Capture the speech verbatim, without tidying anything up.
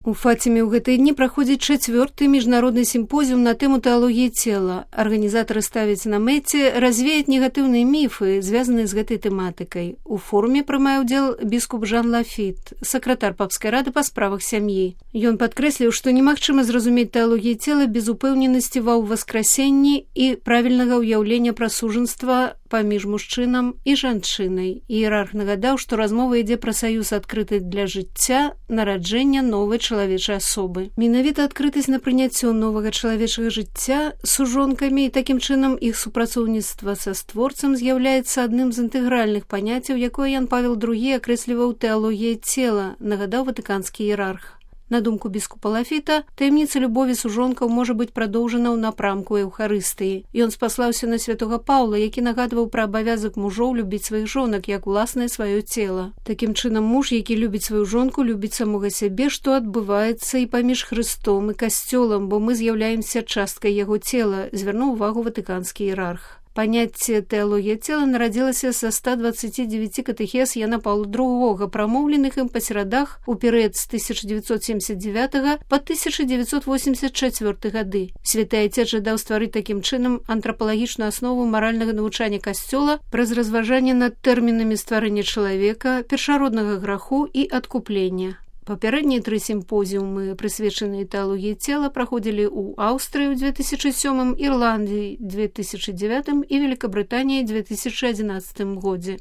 У Фатиме ў гэтыя дні праходзіць чацвёрты міжнародны сімпозіум на тэму тэалогіі цела. Арганізатары ставяць на мэце развеяць негатыўныя міфы, звязаныя з гэтай тэматыкай. У форуме прымае ўдзел біскуп Жан Лафіт, сакратар папскай рады па справах сям'і. Ён падкрэсліў, што немагчыма зразумець тэалогію цела без упэўненасці ва ўваскрасенні і правільнага ўяўлення пра сужанства паміж мужчынам і жанчынай. Іерарх нагадаў, што размова ідзе пра саюз адкрыты для жыцця, нараджэння новай чалавечай асобы. Менавіта адкрытасць на прыняццё новага чалавечага жыцця сужонкамі і такім чынам іх супрацоўніцтва са створцам з'яўляецца адным з інтэгральных паняццяў, якое Ян Павел другі акрэсліваў тэалогіяй цела, нагадаў ватыканскі іерарх. На думку біскупа Лафіта, таямніца любові сужонкаў можа быць прадоўжана ў напрамку эўхарыстыі. Ён спаслаўся на святога Паўла, які нагадваў пра абавязак мужоў любіць сваіх жонак як уласнае сваё цела. Такім чынам, муж, які любіць сваю жонку, любіць самога сябе, што адбываецца і паміж Хрыстом і касцёлам, бо мы з'яўляемся часткай яго цела, звярнуў увагу ватыканскі іерарх. Паняцце тэалогія цела нарадзілася са ста дваццаці дзевяці катэхез Яна Паўла другога, прамоўленых ім па серадах у перыяд з тысяча дзевяцьсот семьдесят девятага па тысяча дзевяцьсот восемьдесят четвёрты гады. Святы Айцец жадаў стварыць такім чынам антрапалагічную аснову маральнага навучання касцёла праз разважанне над тэрмінамі стварэння чалавека, першароднага граху і адкуплення. Папярэднія тры сімпозіумы, прысвечаныя тэалогіі цела, праходзілі ў Аўстрыі ў две тысячы сёмым, Ірландыі две тысячы дзевятым і Великабрытаніі две тысячы адзінаццатым годзе.